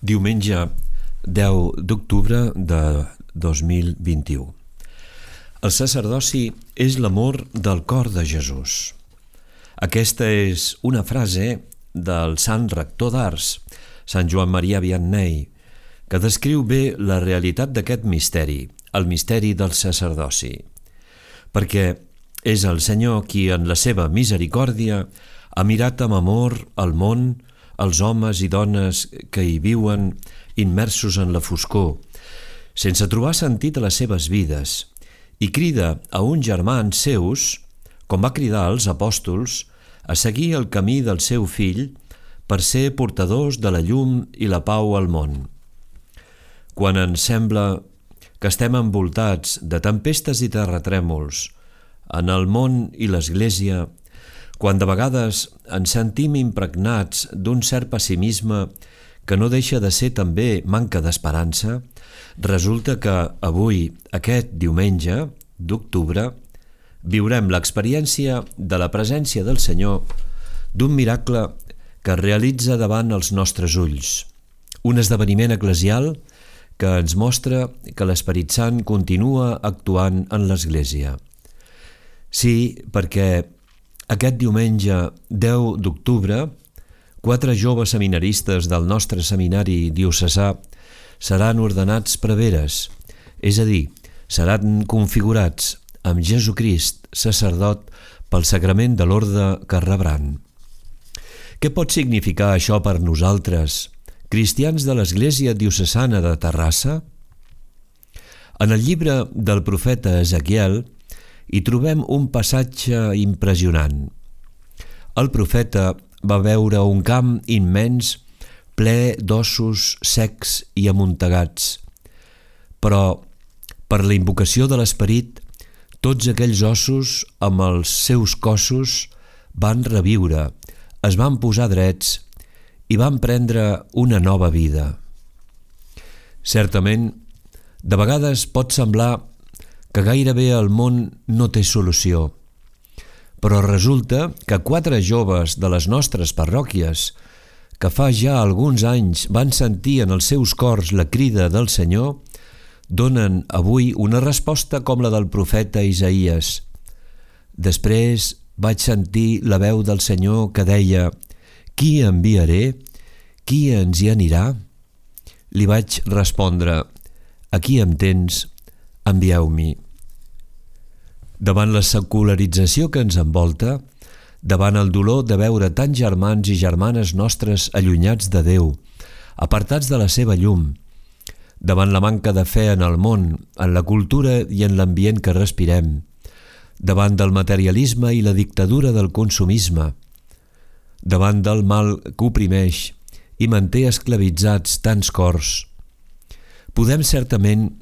Diumenge 10 d'octubre de 2021. El sacerdoci és l'amor del cor de Jesús. Aquesta és una frase del sant rector d'Ars, Sant Joan Maria Vianney, que descriu bé la realitat d'aquest misteri, el misteri del sacerdoci. Perquè és el Senyor qui, en la seva misericòrdia, ha mirat amb amor al món, els homes i dones que hi viuen immersos en la foscor, sense trobar sentit a les seves vides, i crida a uns germans seus, com va cridar als apòstols, a seguir el camí del seu fill per ser portadors de la llum i la pau al món. Quan ens sembla que estem envoltats de tempestes i terratrèmols en el món i l'Església, quan de vegades ens sentim impregnats d'un cert pessimisme que no deixa de ser també manca d'esperança, resulta que avui, aquest diumenge d'octubre, viurem l'experiència de la presència del Senyor, d'un miracle que es realitza davant els nostres ulls, un esdeveniment eclesial que ens mostra que l'Esperit Sant continua actuant en l'Església. Sí, perquè aquest diumenge 10 d'octubre, 4 joves seminaristes del nostre seminari diocesà seran ordenats preveres, és a dir, seran configurats amb Jesucrist, sacerdot, pel sagrament de l'orde que rebran. Què pot significar això per nosaltres, cristians de l'Església diocesana de Terrassa? En el llibre del profeta Ezequiel hi trobem un passatge impressionant. El profeta va veure un camp immens ple d'ossos secs i amuntegats, però per la invocació de l'Esperit, tots aquells ossos amb els seus cossos van reviure, es van posar drets i van prendre una nova vida. Certament, de vegades pot semblar que gairebé el món no té solució, però resulta que 4 joves de les nostres parròquies, que fa ja alguns anys van sentir en els seus cors la crida del Senyor, donen avui una resposta com la del profeta Isaïes. Després vaig sentir la veu del Senyor que deia: «Qui enviaré? Qui ens hi anirà?» Li vaig respondre: «Aquí em tens, envieu-m'hi». Davant la secularització que ens envolta, davant el dolor de veure tants germans i germanes nostres allunyats de Déu, apartats de la seva llum, davant la manca de fe en el món, en la cultura i en l'ambient que respirem, davant del materialisme i la dictadura del consumisme, davant del mal que oprimeix i manté esclavitzats tants cors, podem certament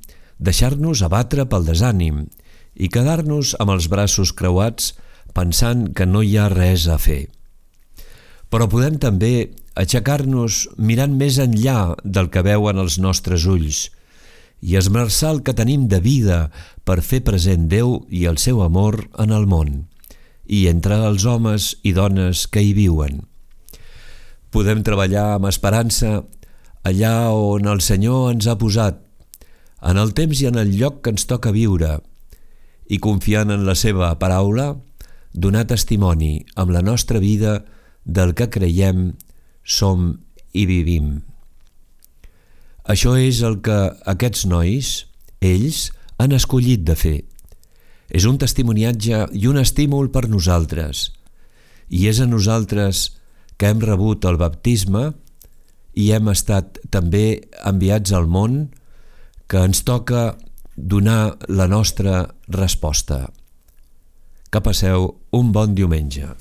deixar-nos abatre pel desànim i quedar-nos amb els braços creuats pensant que no hi ha res a fer. Però podem també aixecar-nos mirant més enllà del que veuen els nostres ulls i esmerçar el que tenim de vida per fer present Déu i el seu amor en el món i entre els homes i dones que hi viuen. Podem treballar amb esperança allà on el Senyor ens ha posat, en el temps i en el lloc que ens toca viure, i confiant en la seva paraula, donar testimoni amb la nostra vida del que creiem, som i vivim. Això és el que aquests nois, ells, han escollit de fer. És un testimoniatge i un estímul per nosaltres, i és a nosaltres que hem rebut el baptisme i hem estat també enviats al món que ens toca donar la nostra resposta. Que passeu un bon diumenge.